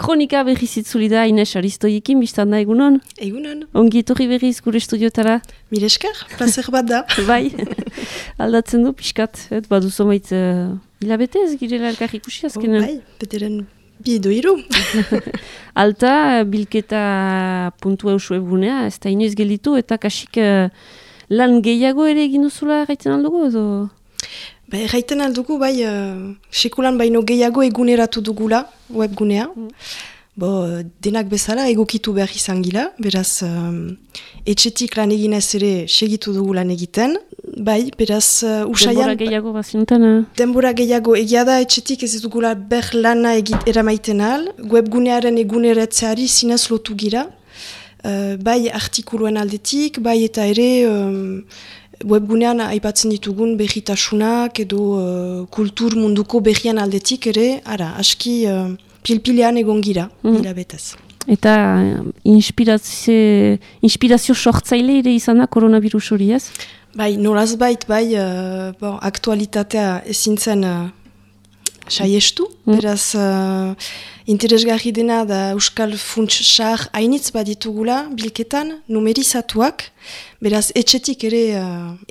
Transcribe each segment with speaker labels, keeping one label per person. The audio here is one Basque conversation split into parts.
Speaker 1: kronika berriz itzuli da Ines Aristoiekin, biztan da egunon?
Speaker 2: Egunon.
Speaker 1: Ongi etorri berriz gure estudiotara?
Speaker 2: Mil esker, placer bat da.
Speaker 1: Bai, aldatzen du pixkat, badu zomait hilabete ez girela elkar ikusi azkenan?
Speaker 2: Bai, beteren bi edo hiru.
Speaker 1: Alta, bilketa puntu eusu ebunea, ez da inoiz gelditu eta kasik lan gehiago ere egin duzula gaiten aldugu edo?
Speaker 2: Ba, erraiten aldugu, bai, sekulan baino gehiago eguneratu dugula, webgunea. Denak bezala egokitu behar izan gila, beraz, etxetik lan eginez ere segitu dugu lan egiten. Bai, beraz, usaian...
Speaker 1: Denbora gehiago bazinuten?
Speaker 2: Denbora gehiago, egia da etxetik ez dugula ber lana eramaiten al, webgunearen eguneratzeari zinez lotu gira. Bai, artikuluen aldetik, bai eta ere... webgunean aipatzen ditugun berritasunak edo kultur munduko berrian aldetik ere, aski pilpilean egon gira, hilabetez.
Speaker 1: Eta inspirazio sortzaile ere izan da koronavirus hori ez?
Speaker 2: Bai, nolaz bait, aktualitatea ezin zen saiestu, beraz interesgarri dena da Euskal Funts Sahar hainitz baditugula bilketan, numerizatuak, beraz etxetik ere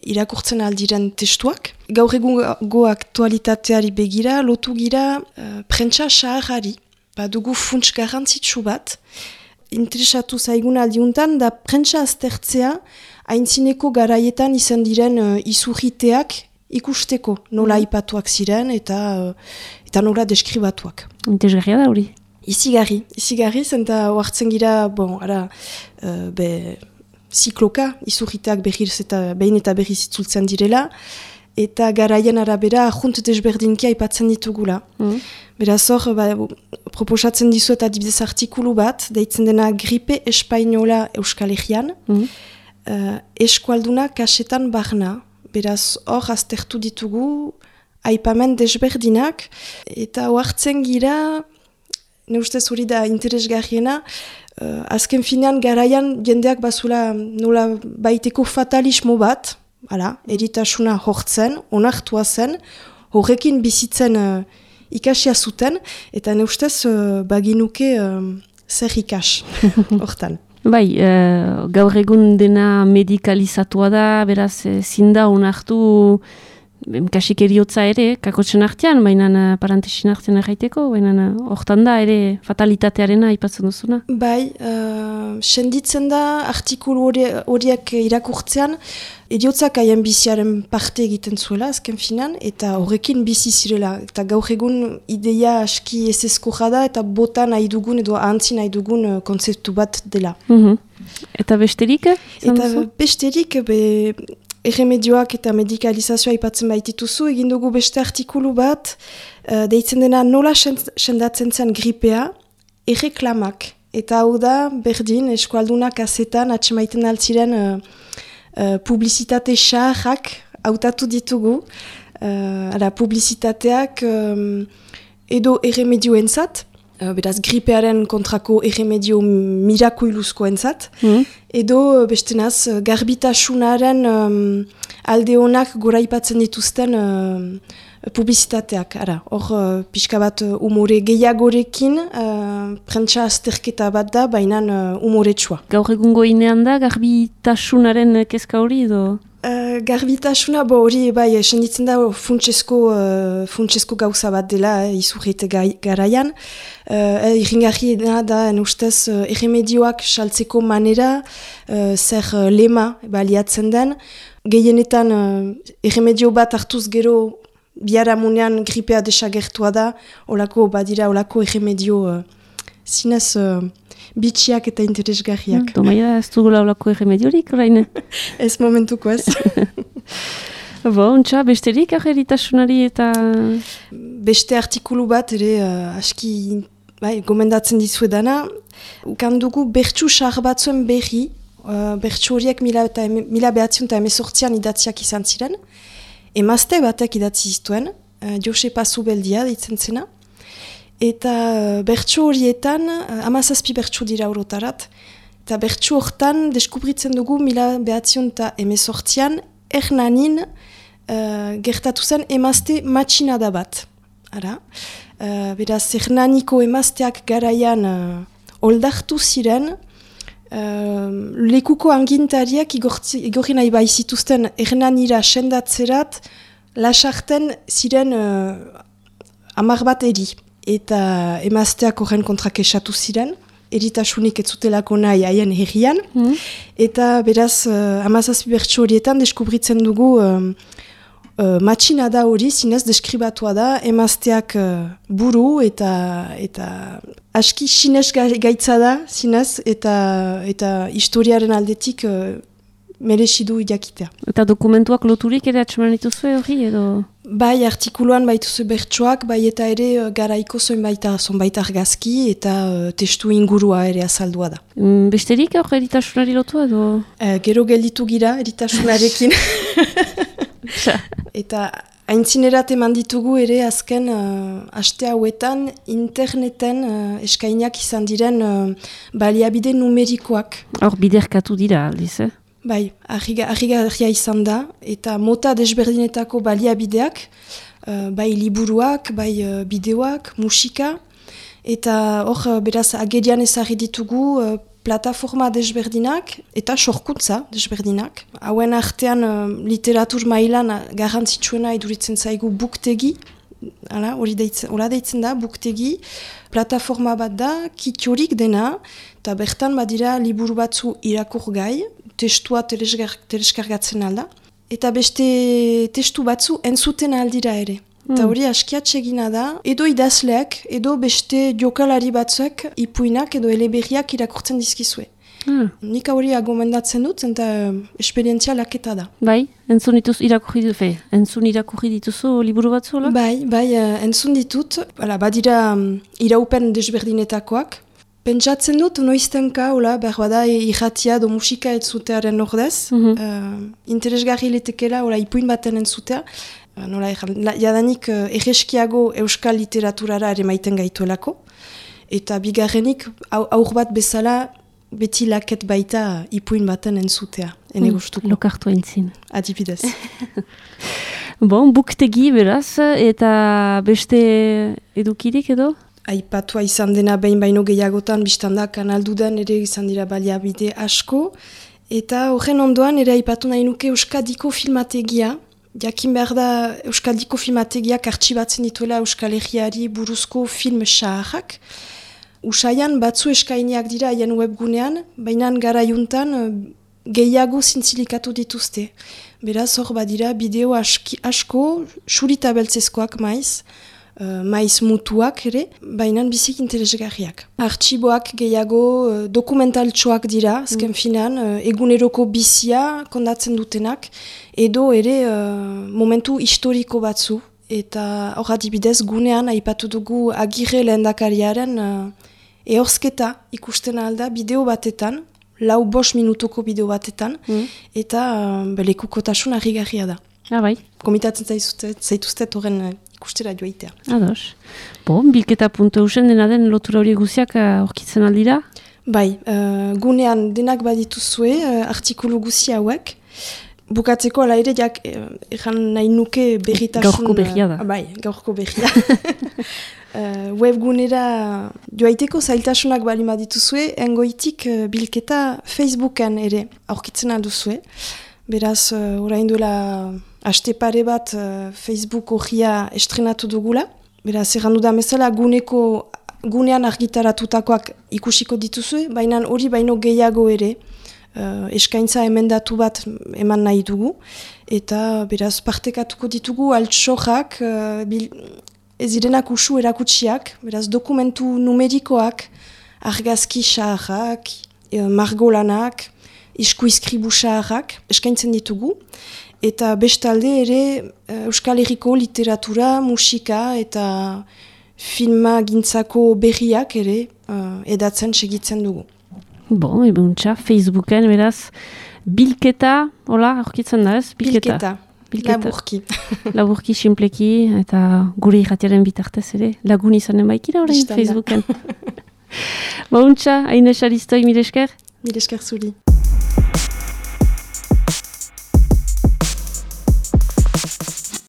Speaker 2: irakurtzen aldiren testuak. Gaur egungo aktualitateari begira, lotu gira prentsa saharari, badugu funts garrantzitsu bat. Interesatu zaigun aldiuntan da prentsa aztertzea aintzineko garaietan izan diren izurriteak ikusteko, nola aipatuak ziren eta nola deskribatuak.
Speaker 1: Interesgarria da hori?
Speaker 2: Izigarri, zenta oartzen gira, zikloka, izurriteak behin eta berriz itzultzen direla, eta garaien arabera ahunt desberdinki aipatzen ditugula. Beraz hor, proposatzen dizuet adibidez artikulu bat, deitzen dena gripe espainola Euskal Herrian, eskualduna kasetan barna. Beraz hor aztertu ditugu aipamen desberdinak, eta oartzen gira, ne ustez hori da interesgarriena, azken finean garaian jendeak bazula nola baiteko fatalismo bat, eritasuna hortzen, onartua zen, horrekin bizitzen ikasia zuten, eta ne ustez baginuke zer ikas hortan.
Speaker 1: Bai, gaur egun dena medikalizatua da, beraz zinda onartu kasik eriotza ere, kakotzen artean, baina parantesin artean erraiteko, baina hortan da ere fatalitatearena aipatzen duzuna.
Speaker 2: Bai, senditzen da artikulu horiek irakurtzean, eriotzak haien biziaren parte egiten zuela, azken finan, eta horrekin bizi zirela. Eta gaur egun ideia aski ezezkoa da, eta bota nahi dugun edo ahantzi nahi dugun kontzeptu bat dela.
Speaker 1: Eta besterik?
Speaker 2: Besterik, erremedioak eta medikalizazioa aipatzen baitituzu, egin dugu beste artikulu bat, deitzen dena nola sendatzen zen gripea, erreklamak. Eta hau da, berdin, eskualdunak azetan atxemaiten altziren publizitate saharrak hautatu ditugu. Publizitateak edo erremedioentzat, beraz gripearen kontrako erremedio mirakuiluzkoentzat, edo bestenaz garbitasunaren alde honak goraipatzen dituzten publizitateak. Hor pixka bat umore gehiagorekin, prentsa azterketa bat da, baina umoretsua.
Speaker 1: Gaur egungo inean da garbitasunaren kezka hori edo?
Speaker 2: Garbitasuna, hori senditzen da funtsesko gauza bat dela izurrite garaian. Irringarri da ustez erremedioak saltzeko manera, zer lema baliatzen den. Gehienetan erremedio bat hartuz gero biharamunean gripea desagertua da, olako erremedio zinez bitxiak eta interesgarriak.
Speaker 1: Domaia ez dugula olako erremediorik, orain?
Speaker 2: Ez momentuko ez.
Speaker 1: Ontsa, besterik eritasunari eta...
Speaker 2: Beste artikulu bat ere aski gomendatzen dizuedana. Ukandugu bertsu sahar batzuen berri, bertsu horiek 1918an idatziak izan ziren. Emazte batek idatzi zituen, Jose Pasubeldia ditzen zena. Eta bertsu horietan, 17 bertsu dira orotarat, eta bertsu hortan deskubritzen dugu 1918an Hernanin gertatu zen emazte matxinada bat. ara. Beraz, Hernaniko emazteak garaian oldartu ziren, lekuko angintariak igorri nahi baizituzten Hernanira sendatzerat, lasarten ziren 10 bat eri. Eta emazteak horren kontrak esatu ziren, eritasunik ez zutelako nahi haien herrian, eta beraz, 17 bertso horietan deskubritzen dugu matxina da hori, zinez, deskribatua da, emazteak buru eta aski sinez gaitza da, zinez, eta historiaren aldetik meresidu jakitea.
Speaker 1: Eta dokumentuak loturik ere atxeman dituzue hori edo?
Speaker 2: Bai, artikuluan baituzu bertsoak, bai eta ere garaiko zonbait argazki eta testu ingurua ere azaldua da.
Speaker 1: Besterik hor eritasunari lotu edo?
Speaker 2: Gero gelditu gira eritasunarekin. Eta aintzinerat eman ditugu ere azken aste hauetan interneten eskainak izan diren baliabide numerikoak.
Speaker 1: Hor biderkatu dira aldiz,
Speaker 2: Bai, argi izan da, eta mota desberdinetako baliabideak, bai liburuak, bai bideoak, musika, eta hor beraz agerian ezarri ditugu plataforma desberdinak eta sorkuntza desberdinak. Hauen artean literatur mailan garrantzitsuena iduritzen zaigu buktegi, hori deitzen da, buktegi, plataforma bat da, kitiorik dena, eta bertan badira liburu batzu irakur gai, testua teleskargatzen alda, eta beste testu batzu entzuten aldira ere. Eta hori askiatxegina da, edo idazleak, edo beste jokalari batzuek ipuinak edo eleberriak irakurtzen dizkizue. Nik hori gomendatzen dut, eta esperientzia laketa da.
Speaker 1: Bai, entzun irakurri dituzu liburu batzu?
Speaker 2: Bai, entzun ditut, badira iraupen desberdinetakoak. Pentsatzen dut, noiztenka, behar bada irratia do musika entzutearen ordez, interesgarri letekela, ipuin baten entzutea, jadanik erreskiago euskal literaturara ere maiten gaituelako, eta bigarrenik aur bat bezala beti laket baita ipuin baten entzutea, ene gustuko.
Speaker 1: Lokartu entzin.
Speaker 2: Adibidez.
Speaker 1: Bon, buktegi beraz, eta beste edukirik edo?
Speaker 2: Aipatua izan dena behin baino gehiagotan, biztanda kanaldudan ere izan dira baliabide asko, eta horren ondoan ere aipatu nahi nuke Euskadiko filmategia. Jakin behar da Euskadiko filmategiak artxibatzen dituela Euskal Herriari buruzko film saharrak. Usaian batzu eskainiak dira haien webgunean, baina garaiuntan gehiago zintzilikatu dituzte. Beraz hor badira bideo asko, surita beltzezkoak maiz mutuak ere, baina bizik interesgarriak. Artxiboak gehiago dokumentaltxoak dira, azken finan, eguneroko bizia kondatzen dutenak, edo ere momentu historiko batzu. Eta hor adibidez gunean aipatu dugu Agirre lehendakariaren ehorzketa ikusten alda bideo batetan, 4-5 minutuko bideo batetan, eta lekukotasun harrigarria da.
Speaker 1: Bai.
Speaker 2: Komitatzen zaituztet horren ikustera joaitea.
Speaker 1: Ados. Bilketa.eusen dena den lotura hori guziak aurkitzen aldira?
Speaker 2: Bai, gunean denak badituzue artikulu guzi hauek. Bukatzeko ala ere, egan nahi nuke berritasun...
Speaker 1: Gaurko berria da.
Speaker 2: Bai, gaurko berria. Webgunera joaiteko zailtasunak balima dituzue, engoitik bilketa Facebooken ere aurkitzen alduzue. Beraz, orain duela aste pare bat Facebook horria estrenatu dugula. Beraz, errandu da mesela gunean argitaratutakoak ikusiko dituzue, baina hori baino gehiago ere eskaintza emendatu bat eman nahi dugu. Eta beraz, partekatuko ditugu altxorrak, ez direnak usu erakutsiak, beraz, dokumentu numerikoak, argazki saharrak, margolanak, iskuizkribu saharrak eskaintzen ditugu, eta bestalde ere Euskal Herriko literatura, musika eta filma gintzako berriak ere edatzen segitzen dugu.
Speaker 1: Bon, ebuntza, Facebooken beraz, bilketa, hola, aurkitzen da ez?
Speaker 2: Bilketa. Laburki.
Speaker 1: Laburki, simpleki, eta gure irratiaren bitartez ere, lagun izanen baikira orain Facebooken. Bauntza, hain esaristoi, mire esker?
Speaker 2: Mire esker zuri.